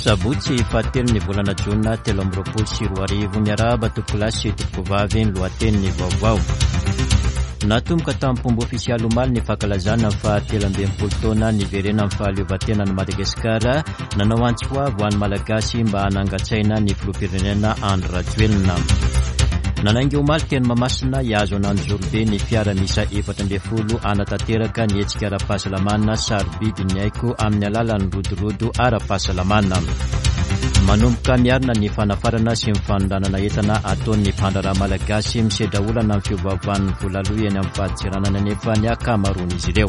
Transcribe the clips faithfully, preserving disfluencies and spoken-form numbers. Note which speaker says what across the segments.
Speaker 1: Sabotsy fahatelo ny volana jona telo amby roapolo sy roa arivo. Miarahaba tompokolahy sy tompokovavy, ny lohatenin'ny vaovao. Natomboka tamin'ny ofisialy omaly ny fankalazana fa telo amby enimpolo taona niverenan'ny fahaleovantenan'i Madagasikara. Nanao antso avo ho an'ny Malagasy mba hanangan-tsaina ny filoham-pirenena Andry Rajoelina. Nanainga omaly teny Mahamasina hihazo an'Anjozorobe ny fiara miisa efatra ambin'ny folo hanatanteraka ny hetsika ara-pahasalamana sarobidy ny aiko amin'ny alalan'ny rodorodo ara-pahasalamana. Manomboka miarina ny fanafarana sy ny fanondranana entana ataon'ny mpandraharaha malagasy. Misedra olana amin'ny fiovaovan'ny vola aloha eny amin'ny fadintseranana nefa ny ankamaroan'izy ireo.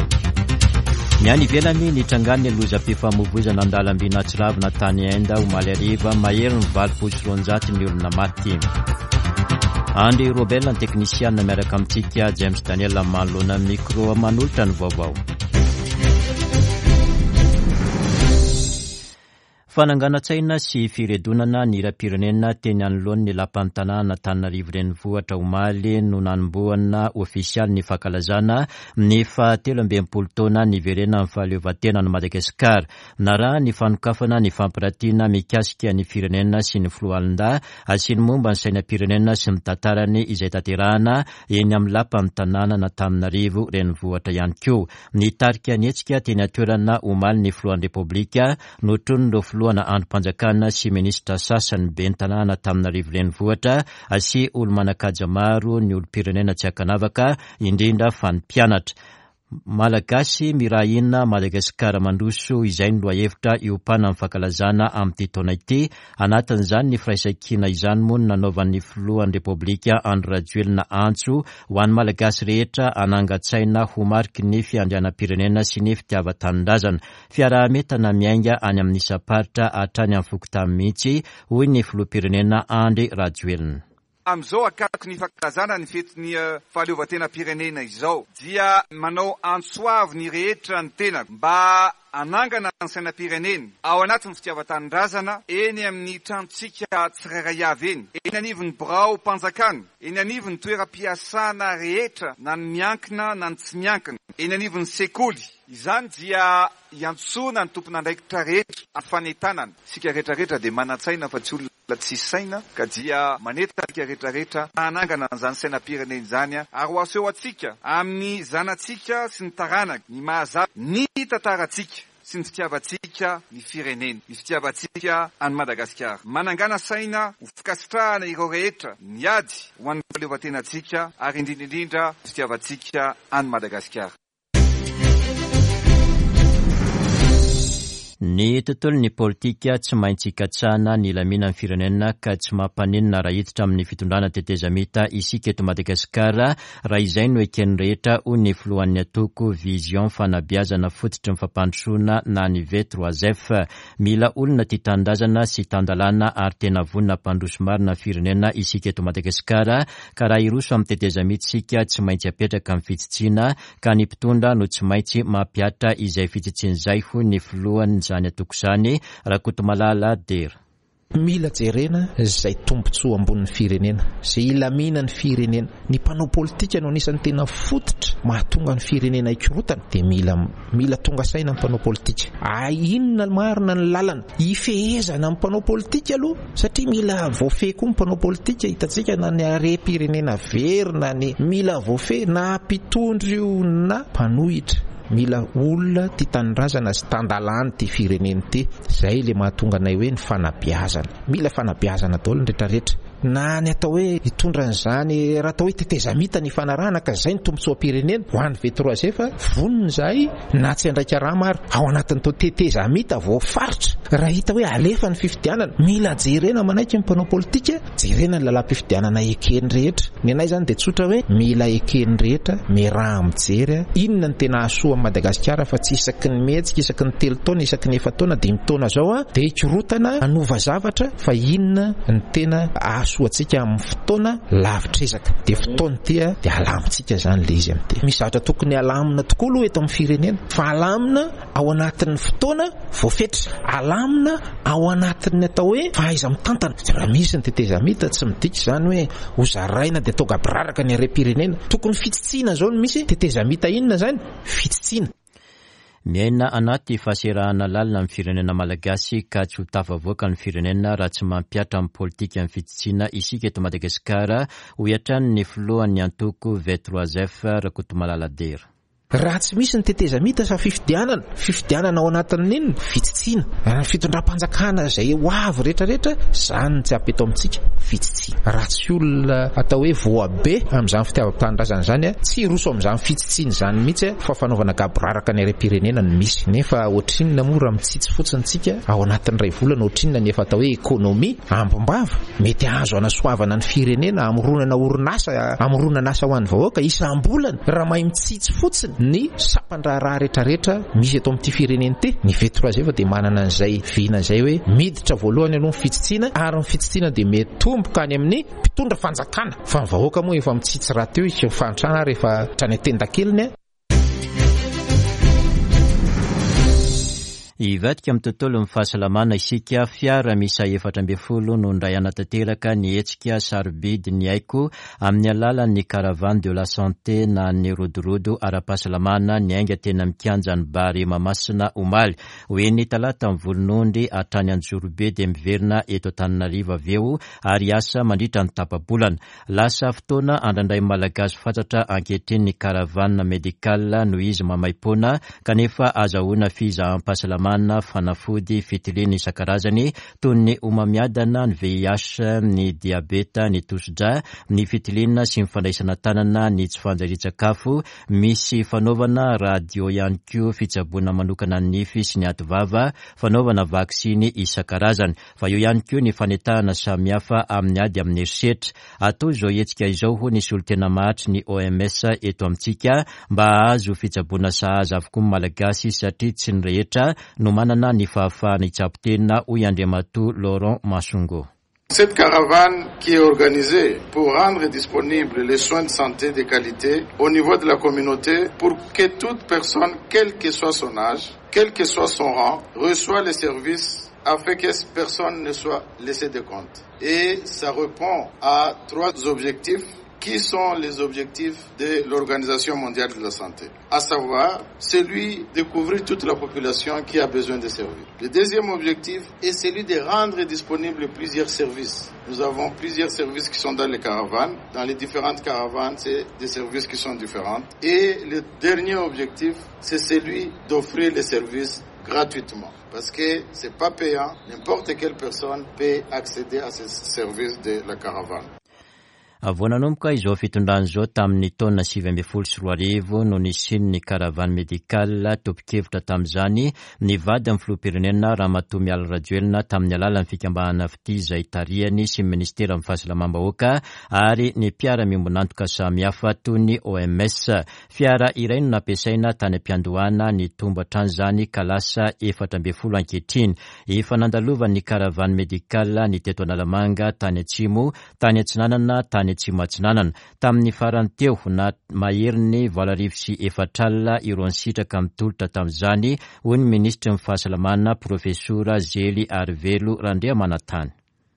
Speaker 1: Ny any ivelany, nitrangan'ny lozam-pifamoivoizana an-dalamby nahatsiravina tany Inde omaly hariva, mahery ny valopolo sy roanjato ny olona maty. Andry Robert ny teknisiana miaraka amintsika, James Daniel manoloana micro manolotra ny vaovao. Fananganan-tsaina sy firedonana ny hiram-pirenena teny anoloan'ny lapan'ny tanàna Antananarivo renivohitra omaly no nanombohana ofisialy ny fankalazana ny fahatelo amby enimpolo taona niverenan'ny fahaleovantenan'i Madagasikara. Naraha ny fanokafana ny fampiratiana mikasika ny firenena sy ny foloalindahy sy ny momba ny sainam-pirenena sy ny tantarany izay tanterahana eny amin'ny lapan'ny tanàna Antananarivo renivohitra ihany koa. Nitarika ny hetsika teny an-toerana omaly ny filohan'ny Repoblika, notronon'ireo filohana andrim-panjakana sy minisitra sasany, ben'ny tanàna Antananarivo renivohitra sy olo-manan-kaja maro, ny olom-pirenena tsy ankanavaka, indrindra fa ny mpianatra. Malagasy mirahina Madagasikara mandroso, izay ny lohahevitra iompana amin'ny fankalazana amin'ity taona ity. Anatin'izany ny firaisankina izany moa no nanaovan'ny filohan'ny Repoblika Andry Rajoelina antso ho an'ny Malagasy rehetra hanangan-tsaina ho mariky ny fiandrianam-pirenena sy ny fitiavan-tanindrazana. Fiaraha-mientana miainga any amin'ny isam-paritra hatrany amin'ny fokontany mihitsy, hoy ny filoham-pirenena Andry Rajoelina.
Speaker 2: Amin'izao akaiky ny fankalazana ny fetin'ny fahaleovantenam-pirenena izao dia manao antso avo ny rehetra ny tena mba hanangana ny sainam-pirenena ao anatin'ny fitiavan-tanindrazana eny amin'ny tranontsika tsirairay avy eny, eny anivon'ny birao-panjakana, eny anivon'ny toeram-piasana rehetra na ny miankina na ny tsy miankina, eny anivon'ny sekoly. Izany dia iantsoana ny tompon'andraikitra rehetra amin'ny fanentanana. Isika rehetrarehetra dia manan-tsaina fa tsy olona tsy saina, ka dia manentana isika rehetrarehetra hanangana an'izany sainam-pirenena izany ary ho aseho antsika amin'ny zanatsika sy ny taranaka ny mahazatra ny tantarantsika sy ny fitiavantsika ny firenena, ny fitiavantsika an'i Madagasikara. Manangana saina ho fikasitrahana ireo rehetra niady ho an'ny fahaleovantenantsika ary indrindra indrindra ny fitiavantsika an'i Madagasikara.
Speaker 1: Ny tontolon'ny politika tsy maintsy ikatsahana ny hilaminan'ny firenena ka tsy mampaninona raha hiditra amin'ny fitondrana tetezamita isika eto Madagasikara raha izay no eken'ny rehetra, hoy ny filohan'ny antoko Vision fanabeazana fototry ny fampandrosoana na ny V trois F. Mila olona tia tanindrazana sy tan-dalàna ary tena vonona hampandroso marina ny firenena isika eto Madagasikara, ka raha hiroso amin'ny tetezamita isika tsy maintsy apetraka amin'ny fitsitsiana ka ny mpitondra no tsy maintsy mampihatra izay fitsitsiana izay, hoy ny filohan'izany antoko izany, Rakotomalala Dera.
Speaker 3: Mila jerena izay tombontsoa ambonin'ny firenena, izay hilamina ny firenena. Ny mpanao politika no anisan'ny tena fototra mahatonga ny firenena hikorotana, dia mila mila tonga saina ny mpanao politika. Ay, inona marina ny lalana hifehezana ny mpanao politika aloha, satria mila voafehy koa ny mpanao politika. Hitantsika na ny harem-pirenena very na ny mila voafehy na mpitondra io na mpanohitra. Mila olona tia tanindrazana sy tan-dalàna ity firenena ity. Izay ilay mahatonga anay hoe ny fanabeazana. Mila fanabeazana daholo ny rehetrarehetra. Na ny atao hoe hitondra an'izany, raha atao hoe tetezamita ny fanarahana ka izay ny tombontsoam-pirenena ho an'ny V trois F, vonona izahay na tsy handray karama ary ao anatin'ny tao tetezamita voafaritra. Raha hita hoe alefa ny fifidianana, mila jerena manaiky ny mpanao politika, jerena ny lalam-pifidianana ekeny rehetra. Ny anay izany dia tsotra hoe mila ekeny rehetra, miaraha mijery inona ny tena hahasoa amin'i Madagasikara, fa tsy isaky ny mihetsika, isaky ny telo taona, isaky ny efa-taona, dimy taona zao a, dia hikorotana hanova zavatra, fa inona ny tena hahasoa antsika amin'ny fotoana lavitra ezaka. Dia fotoana ity a, dia alamintsika izany ilay izy amin'ity. Misy zavatra tokony alamina tokoa aloha eto amin'ny firenena, fa alamina ao anatin'ny fotoana voafetra, alamina ao anatin'ny atao hoe fahaiza-mitantana. Raha misy ny tetezamita, tsy midika izany hoe ho zaraina dia atao gaboraraka ny harem-pirenena. Tokony fitsitsiana izao no misy tetezamita. Inona izany? Fitsitsiana.
Speaker 1: Miaina anaty fahaserahana lalina amin'ny firenena malagasy ka tsy ho tafavoaka ny firenena raha tsy mampihatra amin'ny politika ny fitsitsiana isika eto Madagasikara, hoy hatrany ny filohan'ny antoko V trois F Rakotomalala Dera.
Speaker 3: Raha tsy misy ny tetezamita sa fifidianana, fifidianana ao anatin'inona? Fitsitsiana. Raha ny fitondram-panjakana izay ho avy rehetrarehetra, izany tsy ampy eto amintsika, fitsitsiana. Raha tsy olona atao hoe voabe amin'izany fitiavam-tanindrazana izany, tsy hiroso amin'izany fitsitsiana izany mihitsy, fa fanaovana gaboraraka ny harem-pirenena no misy. Nefa ohatrinona moa raha mitsitsy fotsiny tsika ao anatin'ny iray volana, ohatrinona ny efa atao hoe économie ambim-bava mety azo anasoavana ny firenena, hamoronana orinasa, hamoronana asa ho an'ny vahoaka isam-bolana raha mahay mitsitsy fotsiny ny sampan-draharaha rehetrarehetra misy eto amin'ity firenena ity. Ny V trois F dia manana an'izay vina izay hoe miditra voalohany aloha ny fitsitsiana, ary ny fitsitsiana dia mitomboka any amin'ny mpitondra fanjakana, fa ny vahoaka moa efa mitsitsy rahateo izy, fahantrana rehefa hatrany an-tendakeliny.
Speaker 1: Hivadika amin'ny tontolon'ny fahasalamana isika. Fiara miisa efatra ambin'ny folo no indray hanatanteraka ny hetsika sarobidy ny aiko amin'ny alalan'ny caravane de la santé na ny rodorodo ara-pahasalamana ny ainga tena mikianja ny Bary Mahamasina omaly. Ho eny Talata ny Volonondry hatrany Anjorobe dia miverina eto Antananarivo avy eo ary asa mandritra ny tapa-bolana. Lasa fotoana andrandray malagasy fatratra ankehitriny ny caravane médicale noho izy maimaimpoana kanefa azahoana fizaham-pahasalamana, fanafody, fitiliana isan-karazany toy ny homamiadana, ny V I H, ny diabeta, ny tosidra, ny fitiliana sy ny fandraisana tanana, ny tsy fanjarian-tsakafo, misy fanaovana radio ihany koa, fitsaboana manokana ny nify sy ny ativava, fanaovana vaksiny isan-karazany. Fa eo ihany koa ny fanetahana samihafa amin'ny ady amin'ny herisetra. Atao izao hetsika izao hoy ny solontena mahatry ny O M S eto amintsika mba hahazo fitsaboana sahaza avokoa ny malagasy satria tsy ny rehetra no manana ny fahafahana hitsabo tena, hoy Andriamatoa Laurent Masongo.
Speaker 4: Cette caravane qui est organisée pour rendre disponibles les soins de santé de qualité au niveau de la communauté pour que toute personne, quel que soit son âge, quel que soit son rang, reçoive les services afin que personne ne soit laissé de compte. Et ça répond à trois objectifs qui sont les objectifs de l'Organisation mondiale de la santé, à savoir celui de couvrir toute la population qui a besoin de services. Le deuxième objectif est celui de rendre disponibles plusieurs services. Nous avons plusieurs services qui sont dans les caravanes. Dans les différentes caravanes, c'est des services qui sont différents. Et le dernier objectif, c'est celui d'offrir les services gratuitement. Parce que c'est pas payant, n'importe quelle personne peut accéder à ces services de la caravane.
Speaker 1: Vao nanomboka izao fitondrana izao tamin'ny taona sivy ambin'ny folo sy roa arivo no nisian'ny caravane médicale. Tompon-kevitra tamin'izany ny vadin'ny filoham-pirenena Ramatoa Mialy Rajoelina tamin'ny alalan'ny fikambanana Fitia izay tarihany sy ny ministeran'ny fahasalamam-bahoaka ary ny mpiara-miombon'antoka samihafa toy ny O M S. Fiara iray no nampiasaina tany am-piandohana, nitombo hatrany izany ka lasa efatra ambin'ny folo ankehitriny. Efa nandalovan'ny caravane médicale ny teto Analamanga, tany Atsimo, tany Atsinanana, tany Atsimo Atsinanana. Tamin'ny farany teo na maherin'ny valo arivo sy efatra alina ireo nisitraka mitolotra tamin'izany, hoy ny minisitry ny fahasalamana Profesora Zely Arivelo Randriamanantany.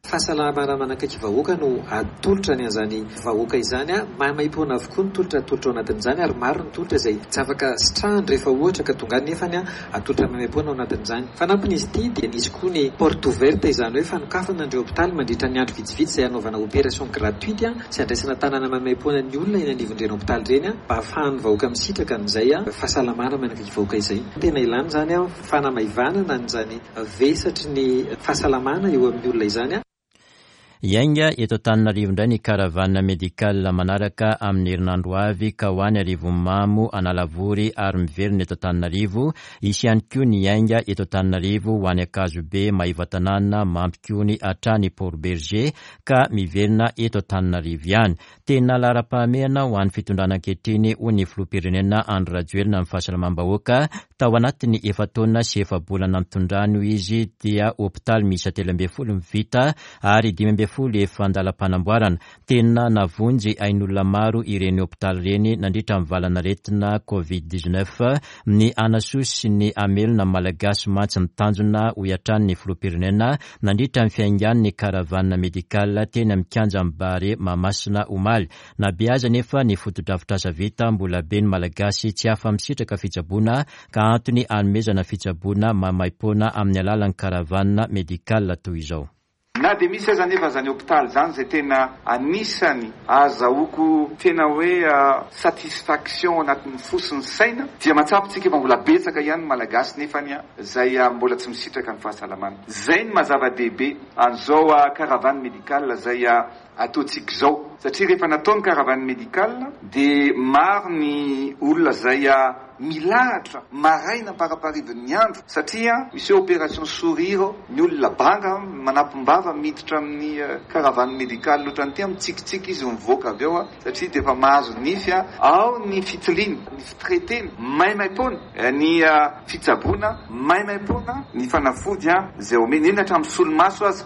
Speaker 5: Fahasalamana manakaiky vahoaka no atolotra ny an'izany vahoaka izany, a maimaimpoana avokoa ny tolotra atolotra ao anatin'izany ary maro ny tolotra izay tsy afaka sitrahany rehefa ohatra ka tonga any nefany, a atolotra maimaimpoana ao anatin'izany. Fanampin'izy ity dia nisy koa ny porte ouverte, izany hoe fanokafana an'ireo hopitaly mandritra ny andro vitsivitsy izay hanaovana opération gratuite, a sy andraisana tanana maimaimpoana ny olona eny anivon'ireny hopitaly ireny, a mba ahafahan'ny vahoaka misitraka an'izay, a fahasalamana manakaiky vahoaka izay. Tena ilana izany, a fanamaivanana an'izany vesatry ny fahasalamana eo amin'ny olona izany.
Speaker 1: Hiainga eto Antananarivo indray ny caravane médicale manaraka amin'ny herinandro avy ka ho any Arivonimamo, Analavory ary miverina eto Antananarivo. Hisy ihany koa ny hiainga eto Antananarivo ho any Ankazobe, Maevatanàna, Mampikony hatrany Port Bergé ka miverina eto Antananarivo ihany. Tena laharam-pahamehana ho an'ny fitondrana ankehitriny hoy ny filoham-pirenena Andry Rajoelina amin'ny fahasalamam-bahoaka. Tao anatin'ny efa-taona sy efa-bolana nitondrany hoy izy dia hopitaly miisa telo ambin'ny folo no vita ary dimy ambin'ny folo efa an-dalam-panamboarana. Tena navonjy ain'olona maro ireny hopitaly ireny nandritra ny valanaretina Covid dix-neuf. Ny anasoa sy ny amelona malagasy mantsy ny tanjona hoy hatrany ny filoham-pirenena nandritra ny fiaingan'ny caravane médicale teny amin'ny kianjan'ny Barea Mahamasina omaly. Na be aza nefa ny fotodrafitrasa vita, mbola be ny malagasy tsy afa-misitraka fitsaboana ka ka antony anomezana fitsaboana maimaimpoana amin'ny alalan'ny caravane médicale toy izao.
Speaker 2: Na dia misy aza nefa zany hôpitaly zany zay tena anisany azahoako tena hoe satisfaction anatin'ny fo sy ny saina, dia mahatsapa tsika fa mbola betsaka ihany ny Malagasy nefany zay mbola tsy misitraka ny fahasalamana. Zay ny mazava-dehibe an'izao caravane médicale zay ataontsika izao, satria rehefa natao ny caravane médicale dia maro ny olona zay milahatra maraina amparaparivon'ny andro, satria misy opération sourire, ny olona banga manampim-bava miditra amin'ny caravane médicale ohatran'ity, mitsikitsiky izy mivoaka avy eo, satria dia efa mahazo nify ao ny fitiliana, ny fitraitena maimaimpoana, ny fitsaboana maimaimpoana, ny fanafody izay omena eny hatramin'ny solomaso aza.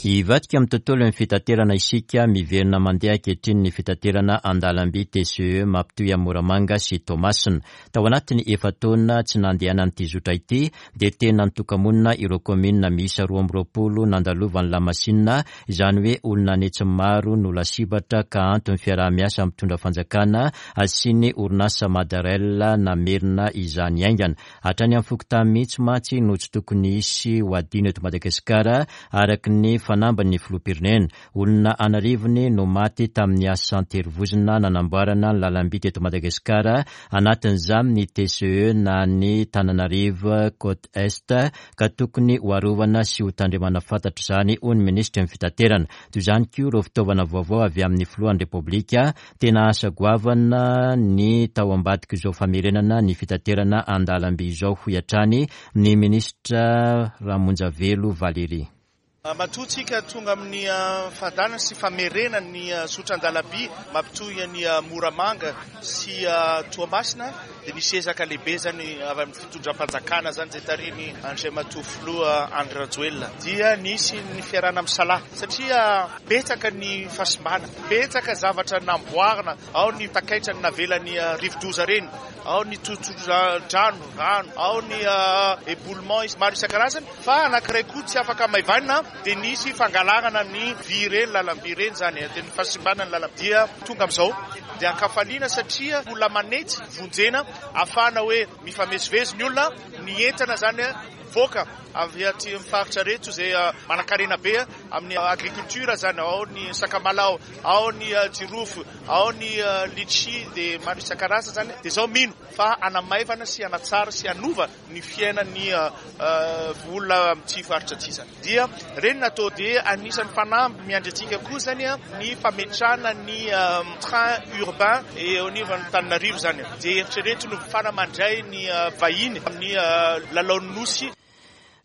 Speaker 1: Hivadika amin'ny tontolon'ny fitaterana isika. Miverina mandeha ankehitriny ny fitaterana an-dalamby T C E mampitohy Moramanga sy Toamasina. Tao anatin'ny efa-taona tsy nandehanan'ity zotra ity dia tena nitoka-monina ireo kaominina miisa roa amby roapolo nandalovan'ny lamasinina, izany hoe olona anetsy maro no lasibatra, ka antony fiaraha-miasa mitondra fanjakana sy ny orinasa Madarail namerina izany aingana. Hatrany amin'ny fokontany mihitsy mantsy no tsy tokony hisy ho adino eto Madagasikara, araka ny fanamban'ny filoham-pirenena. Olona anarivony no maty tamin'ny asa an-terivozona nanamboarana ny lalamby teto Madagasikara, anatin'izany ny T C E na ny Tananarive Côte Est, ka tokony ho arovana sy ho tandremana fantatra izany, hoy ny minisitry ny fitaterana. Toy izany koa ireo fitaovana vaovao avy amin'ny filohan'ny Repoblika. Tena asa goavana ny tao ambadika izao famerenana ny fitaterana an-dalamby izao, hoy hatrany ny minisitra Ramonjavelo Valérie.
Speaker 6: Matoa tsika tonga amin'ny fandana sy famerena ny zotra an-dalamby mampitohy ny Moramanga sy Toamasina dia misy ezaka lehibe zany avy amin'ny fitondram-panjakana zany zay tarihiny Andriamatoa Filoha Andry Rajoelina, dia nisy ny fiarahana misalahy satria betsaka ny fahasimbana, betsaka zavatra namboarina ao, ny takaitra ny navelany rivodoza reny ao, ny totodrano rano ao, ny éboulement maro isan-karazany. Fa anankiray koa tsy afaka maivanina dia nisy fangalarana ny vy reny, lalamby reny zany, dia ny fahasimbana ny lalamby. Dia tonga amin'izao dia ankafaliana satria olona manetsy vonjena ahafahana hoe mifamezivezy ny olona, ny entana zany voaka avy aty amin'ny faritra reto zay manan-karena be amin'ny agriculture zany, ao ny sakamalao, ao ny jirofo, ao ny litchi, dia maro isan-karazany zany. Dia zao mino fa anamaivana sy anatsara sy anova ny fiainan'ny olona amin'ity faritra ty zany. Dia reny natao dia anisan'ny fanamby miandry antsika koa zany ny fametrahana ny train urbain eo anivon'ny Tananarivo zany, dia eritrereto no fana mandray ny vahiny amin'ny lalaon'ny nosy.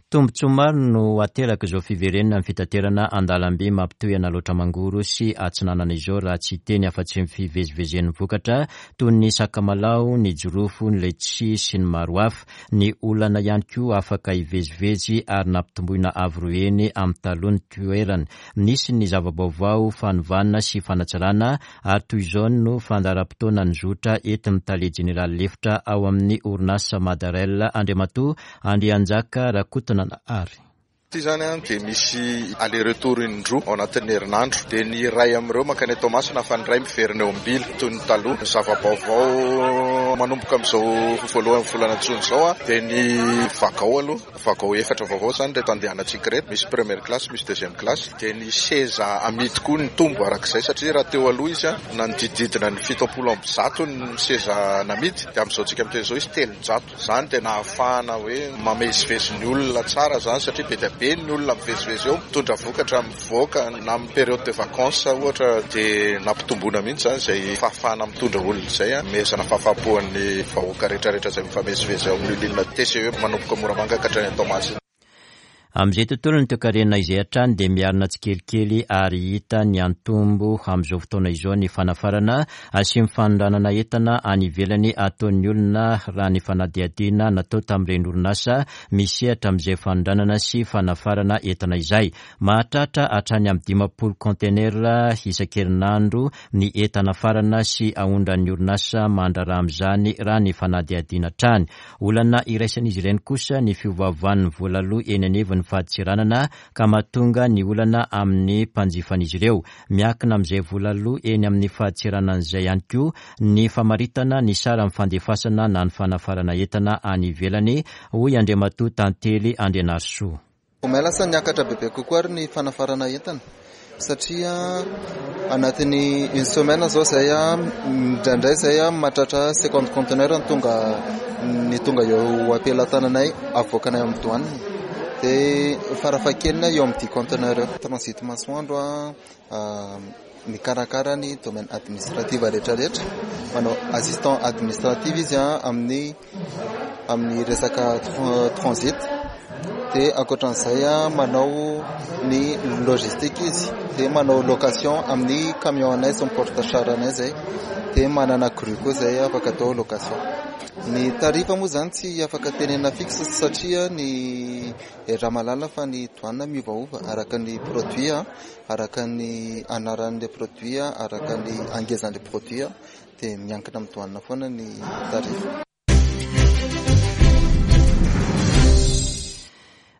Speaker 1: Tombontsoa maro no ateraka izao fiverenana ny fitaterana an-dalamby mampitohy an'Alaotra Mangoro sy Atsinanana izao, raha tsy teny afa-tsy ny fivezivezen'ny vokatra toy ny sakamalao, ny jirofo, ny letchi sy ny maro hafa. Ny olana ihany koa afaka hivezivezy ary nampitomboina avo roa heny amin'ny taloha ny toerana. Nisy ny zava-baovao, fanovana sy fanatsarana, ary toy izao no fandaharam-potoana ny zotra entin'ny tale jeneraly lefitra ao amin'ny orinasa Madarail, Andriamatoa Andrianjaka Rakotona ary.
Speaker 4: Ty zany a dia misy aller retour indroa ao anatin'ny herinandro, dia ny iray amin'ireo mankany Toamasina fa ny iray miverina eo Ambila toy ny taloha. Ny zava-baovao manomboka amin'izao voalohan'ny volana jona izao a dia ny wagon aloha, wagon efatra vaovao zany reto andehanantsika reto, misy première classe, misy deuxième classe, dia ny seza amidy koa ny tombo arak'izay, satria raha teo aloha izy a nanodidididina ny fitopolo amby zato ny seza namidy, dia amin'izao tsika miteny izao izy telonjato. Zany dia nahafahana hoe mamezivezy ny olona tsara zany, satria be dia be ny olona mivezivezy eo, mitondra vokatra, mivoaka na amin'ny période de vacances ohatra, dia nampitomboana mihitsy zany izay fahafahana mitondra olona izay a mezana fahafahampoan'ny vahoaka rehetrarehetra izay mifamezivezy ao amin'ny ligne T C E manomboka Moramanga ka hatrany Toamasina.
Speaker 1: Amin'izay tontolo ny toekarena izay hatrany dia miarina tsikelikely ary hita ny antombo amin'izao fotoana izao ny fanafarana sy mifanondranana entana any ivelany ataon'ny olona, raha ny fanadihadiana natao tamin'ireny orinasa misehatra amin'izay fanondranana sy fanafarana entana izay. Mahatratra hatrany amin'ny dimampolo conteneur isan-kerinandro ny entana farana sy aondran'ny orinasa mandraharaha amin'izany, raha ny fanadihadiana hatrany. Olana iraisan'izy ireny kosa ny fiovaovan'ny vola aloa eny anivon'ny fadintseranana ka mahatonga ny olana amin'ny mpanjifan'izy ireo. Miankina amin'izay vola aloa eny amin'ny fadintseranana izay ihany koa ny famaritana ny saran'ny fandefasana na ny fanafarana entana any ivelany, hoy Andriamatoa Tantely Andrianarisoa.
Speaker 7: Vao lasa niakatra bebe kokoa ary ny fanafarana entana satria anatin'ny une semaine zao zay a indraindray zay a mahatratra cinquante conteneur ny tonga ny tonga eo am-pelatananay avoakanay amin'ny douane, dia farafahakeliny eo amin'ny dix conteneur eo. Transit Masoandro a mikarakara ny domaine administratif rehetrarehetra, manao assistant administratif izy a amin'ny amin'ny resaka transit, dia ankoatran'izay a manao ny logistique izy, dia manao location amin'ny camion anay sy ny porte char anay zay, dia manana grue koa zay afaka atao location. Ny tarifa moa zany tsy afaka tenena fixe satria ny raha mahalala fa ny douane miovaova araka ny produit a, araka ny anaran'ilay produit a, araka ny angezan'ilay produit a, dia miankina amin'ny douane foana ny tarifa.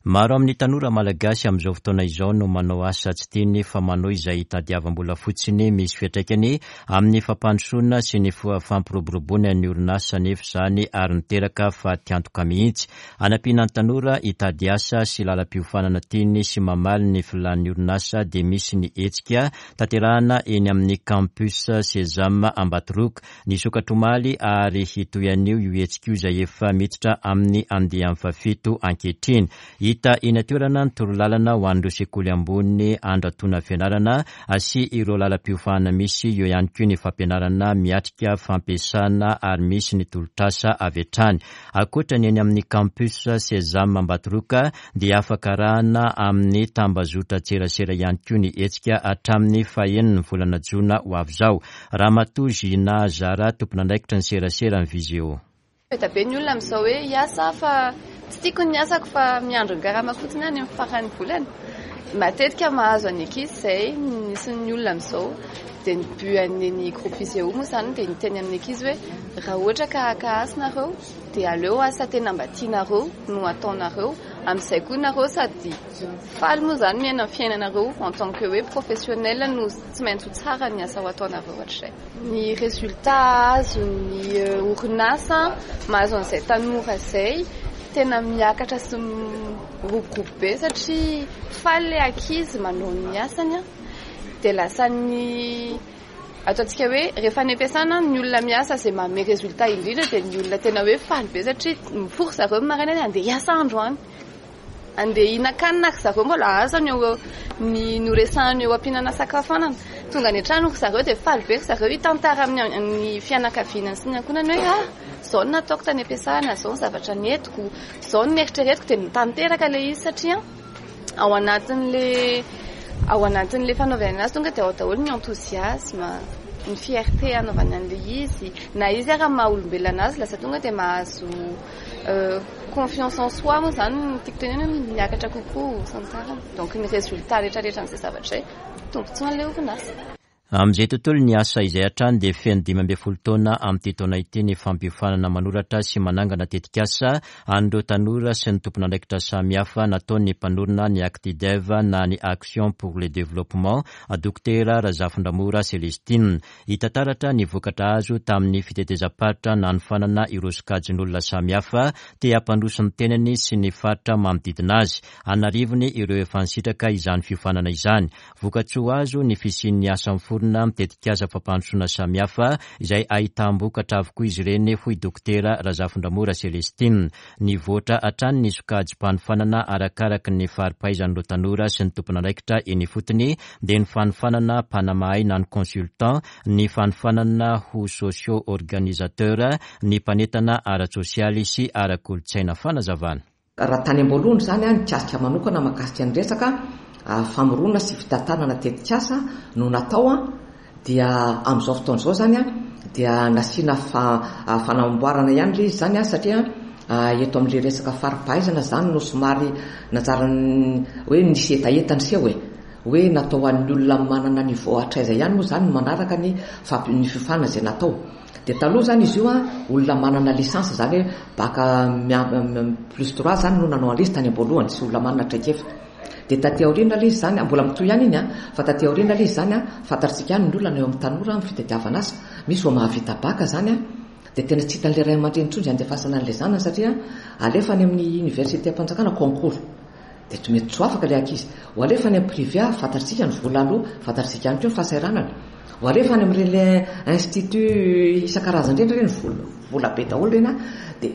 Speaker 1: Maro amin'ny tanora malagasy amin'izao fotoana izao no manao asa tsy tiany fa manao izay hitadiavam-bola fotsiny. Misy fiantraikany amin'ny fampandrosoana sy ny fampiroboroboana ny orinasa nefa izany ary niteraka fatiantoka mihitsy. Anampiana ny tanora hitady asa sy lalam-piofanana tiany sy mamaly ny filan'ny orinasa dia misy ny hetsika tanterahana eny amin'ny campus Sesame Ambatoroka. Nisokatra omaly ary hitohy anio io hetsika io izay efa miditra amin'ny andiany fahafito ankehitriny. Hita eny an-toerana ny torolalana ho an'ireo sekoly ambony andratona fianarana sy ireo lalam-piofanana misy eo ihany koa ny fampianarana miatrika fampiasana ary misy ny tolotrasa avy hatrany. Ankoatra ny eny amin'ny campus Sesame Ambatoroka dia afaka arahana amin'ny tambazotra tserasera ihany koa ny hetsika hatramin'ny fahenin'ny volana jona ho avy izao. Ramatoa Gina Zara, tompon'andraikitra ny serasera ny Viseo.
Speaker 8: Be be ny olona amin'izao hoe hiasa fa tsy tiako ny asako fa miandro ny karama fotsiny any amin'ny faran'ny volana. Matetika mahazo any ankizy izay nisy ny olona amin'izao dia ny but an'ny groupe Viseo moa izany dia niteny amin'ny ankizy hoe raha ohatra ka haka asa nareo dia aleo asa tena mba tianareo no ataonareo, amin'izay koa nareo sady faly moa izany miaina ny fiainanareo en tant que hoe professionnel no tsy maintsy ho tsara ny asa ho ataonareo ohatr'izay. Ny résultat azon'ny orinasa mahazo an'izay tanora izay tena miakatra sy miroborobo be satria faly ilay ankizy manao ny asany a, dia lasa ny ataontsika hoe rehefa any am-piasana ny olona miasa izay manome résultat indrindra dia ny olona tena hoe faly be satria mifory zareo maraina hoe andeha hiasa androany, andeha hihinan-kanina ry zareo mbola azany eo ny noresahana eo am-pihinana sakafoanana. Tonga any an-trano ry zareo dia faly be ry zareo hitantara amin'ny fianakaviana sy ny ankohonany hoe ah izao no nataoko tany am-piasana, izao ny zavatra nentiko, izao no nieritreretiko, dia nitanteraka ilay izy satria ao anatin'le ao anatin'le fanaovana anazy tonga dia ao daholo ny enthousiasme, ny fierté anaovana an'ilay izy, na izy ara maha olombelona anazy lasa tonga dia mahazo confiance en soi moa izany no tiako tenenina hoe miakatra kokoa sy ny tariny. Donc ny résultat rehetrarehetra an'izay zavatra izay tombontsoa an'ilay orinasa.
Speaker 1: Amin'izay tontolo ny asa izay hatrany dia feno dimy ambin'ny folo taona amin'ity taona ity ny fampiofanana manoratra sy manangana tetikasa an'ireo tanora sy ny tompon'andraikitra samihafa nataon'ny mpanorina ny Actidev na ny Action pour le Développement, Dokotera Razafindramora Celestine. Hita taratra ny vokatra azo tamin'ny fitetezam-paritra nanofanana ireo sokajin'olona samihafa te hampandroso ny tenany sy ny faritra manodidina azy. Anarivony ireo efa nisitraka izany fiofanana izany. Vokatsoa azo ny fisian'ny asa miforona mitetikasa fampandrosoana samihafa izay ahitam-bokatra avokoa izy ireny, hoy Dokotera Razafindramora Celestine. Nivoatra hatrany ny sokajim-panofanana arakaraka ny fari-pahaizan'ireo tanora sy ny tompon'andraikitra eny ifotony, dia ny fanofanana mpanamahay na ny consultant, ny fanofanana ho socio-organisateur, ny mpanentana ara-tsosialy sy ara-kolontsaina. Fanazavana.
Speaker 9: Raha tany am-boalohany izany a, nikasika manokana mahakasika ny resaka famoronana sy fitantanana tetikasa no natao a, dia amin'izao fotoana izao izany a dia nasiana fanamboarana ihany ilay izy izany a, satria eto amin'ilay resaka fari-pahaizana izany no somary nanjary hoe nisy hetaheta niseho e, hoe natao ho an'ny olona manana niveau hatraiza ihany moa izany no manaraka ny ny fiofanana izay natao. Dia taloha zany izy io a, olona manana licence zany hoe bac plus trois zany no nanao an'izy tany am-boalohany, tsy olona manana traikefa. Dia taty aoriana ilay izy zany, mbola mitohy ihany iny a, fa taty aoriana ilay izy zany a, fantatsika ihany ny olana eo amin'ny tanora amin'ny fitadiavana asa. Misy vao mahavita bac zany a, dia tena tsy hitan'ilay ray aman-dreny intsony izay andefasana an'ilay zanany satria alefa any amin'ny université am-panjakana concours. Dia tsy mety tsy ho afaka ilay ankizy. Ho alefa any amin'ny privé, fantatsika ny vola aloha, fantatsika ihany koa ny fahasahiranana. Ho alefa any amin'ireny institut isan-karazany ireny, ireny vola, vola be daholo ireny a, dia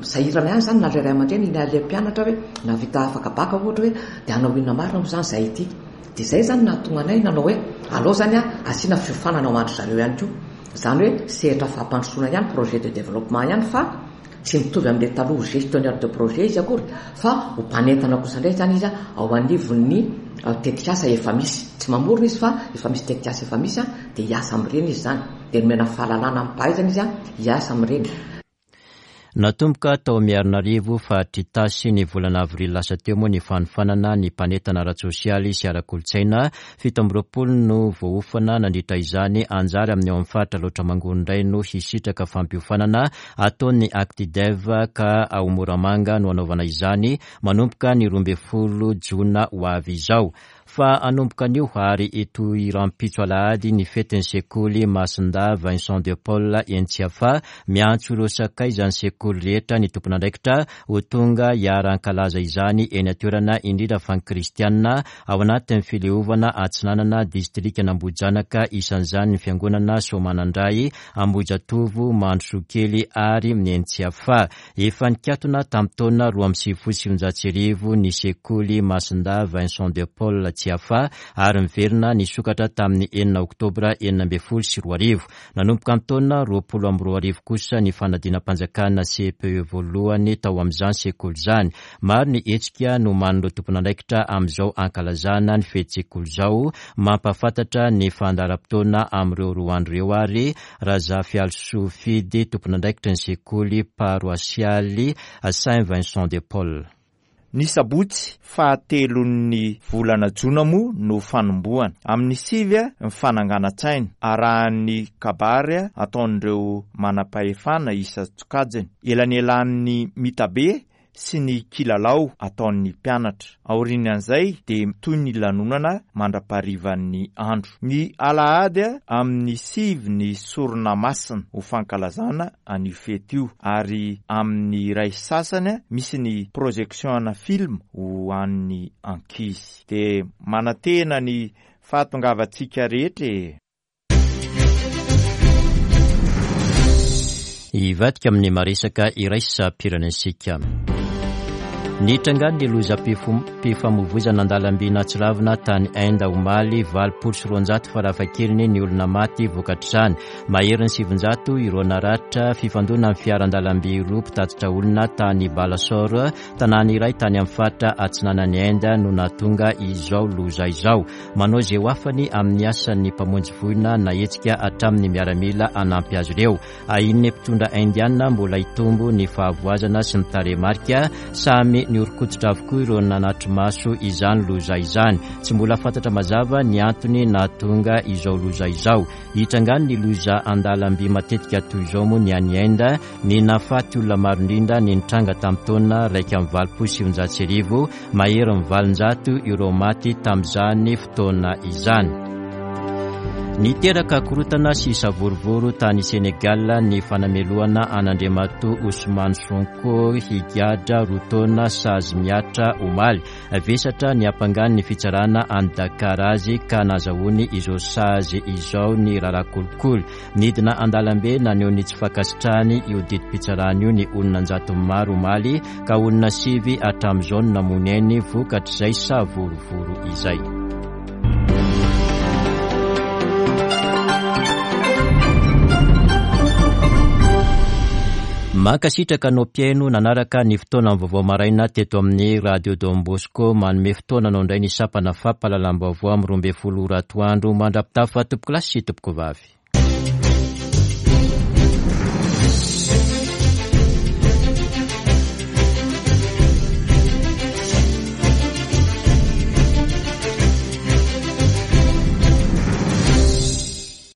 Speaker 9: sahirana ihany zany na ilay ray aman-dreny na ilay mpianatra hoe nahavita afaka baka ohatra hoe dia hanao inona marina moa zany izahay ity. Dia izay zany nahatonga anay nanao hoe aleo zany a asiana fiofanana ho an-dry zareo ihany koa. Izany hoe sehatra fampandrosoana ihany, projet de développement ihany, fa tsy mitovy amin'ilay taloha gestionnaire de projet izy akory, fa ho mpanentana kosa indray zany izy ao anivon'ny tetikasa efa misy. Tsy mamorona izy fa efa misy tetikasa efa misy, dia hiasa amin'ireny izy zany. Dia nomena fahalalana amim-pahaizana izy hiasa amin'ireny.
Speaker 1: Natomboka tao Miarinarivo faritra Itasy ny volana avrily lasa teo moa ny fanofanana ny mpanentana ara-tsosialy sy ara-kolontsaina. Fito amby roapolo no voaofana nandritra izany. Anjara amin'ny ao amin'ny faritra Alaotra Mangoro indray no hisitraka fampiofanana ataon'ny Actidev ka ao Moramanga no anaovana izany manomboka ny roa ambin'ny folo jona ho avy izao. Fa hanomboka anio ary hitohy rahampitso alahady ny fetin'ny sekoly Masindahy Vincent de Paul eny Tsiafahy. Miantso ireo sakaizan'ny sekoly rehetra ny tompon'andraikitra ho tonga hiara-hankalaza izany eny an-toerana, indrindra fa ny kristianina ao anatin'ny fileovana Atsinanana distrikan'Ambohijanaka, isan'izany ny fiangonana Soamanandray, Ambohijatovo, Mandrosokely ary ny eny Tsiafahy. Efa nikatona tamin'ny taona roa amby sivifolo sy sivinjato sy arivo ny sekoly Masindahy Vincent de Paul Tsiafahy ary miverina nisokatra tamin'ny enina oktobra enina ambin'ny folo sy roa arivo. Nanomboka ny taona roapolo amby roa arivo kosa ny fanadinam-panjakana C P E voalohany tao amin'izany sekoly izany. Maro ny hetsika no manin'ireo tompon'andraikitra amin'izao ankalazana ny fety-sekoly izao. Mampahafantatra ny fandaharam-potoana amin'ireo roa andro ireo ary Razafialisoa Fidy, tompon'andraikitra ny sekoly paroasialy Saint Vincent de Paul.
Speaker 10: Ny sabotsy fahatelon'ny volana jona moa no fanombohana. Amin'ny sivy ny fananganan-tsaina arahan'ny kabary ataon'ireo manam-pahefana isan-tsokajiny. Elanelan'ny mitabe sy ny kilalao ataon'ny mpianatra. Aorian'izay dia toy ny lanonana mandra-paharivan'ny andro. Ny alahady amin'ny sivy ny sorona masina ho fankalazana an'io fety io, ary amin'ny iray sasany misy ny projection ana film ho an'ny ankizy. Dia manantena ny fahatongavantsika rehetra e.
Speaker 1: Hivadika amin'ny maresaka iraisam-pirenentsika. Nitrangan'ny lozam-pifamoivoizana an-dalamby natsiravina tany Inde omaly, valopolo sy roanjato farafahakeliny ny olona maty vokatr'izany. Maherin'ny sivinjato ireo naratra. Fifandonana amin'ny fiara an-dalamby roa mpitatitra olona tany Balasore, tanàna iray tany amin'ny faritra atsinanan'i Inde no nahatonga izao loza izao. Manao izay ho afany amin'ny asan'ny mpamonjy voina nahetsika hatramin'ny miaramila hanampy azy ireo. Ahian'ny mpitondra indiana mbola hitombo ny fahavoazana sy ny tarehimarika. Samy nihoron-koditra avokoa ireo nanatri-maso izany loza izany. Tsy mbola fantatra mazava ny antony nahatonga izao loza izao. Hitrangany ny loza an-dalamby matetika toy izao moa ny any Inde. Ny nahafaty olona maro indrindra ny nitranga tamin'ny taona iraika amby valopolo sy sivinjato sy arivo, maherin'ny valonjato ireo maty tamin'izany fotoana izany. Niteraka korontana sy savorovoro tany Senegal ny fanamelohana an'Andriamatoa Ousmane Sonko higadra roa taona sazy mihatra omaly. Vesatra ny ampangan'ny fitsarana any Dakar azy ka nazahoany izao sazy izao ny raharaha kolikoly. Nidina an-dalambe naneho ny tsy fankasitrahany io didim-pitsarana io ny olona an-jatony maro omaly, ka olona sivy hatramin'izao no namono ainy vokatr'izay savorovoro izay. Mankasitraka anao mpihaino nanaraka ny fotoana vaovao maraina teto amin'ny Radio Don Bosco. Manome fotoana anao indray ny sampana fampahalalam-baovao amin'ny roa ambin'ny folo ora atoandro. Mandra-pitafa tompoko lahy sy tompoko vavy.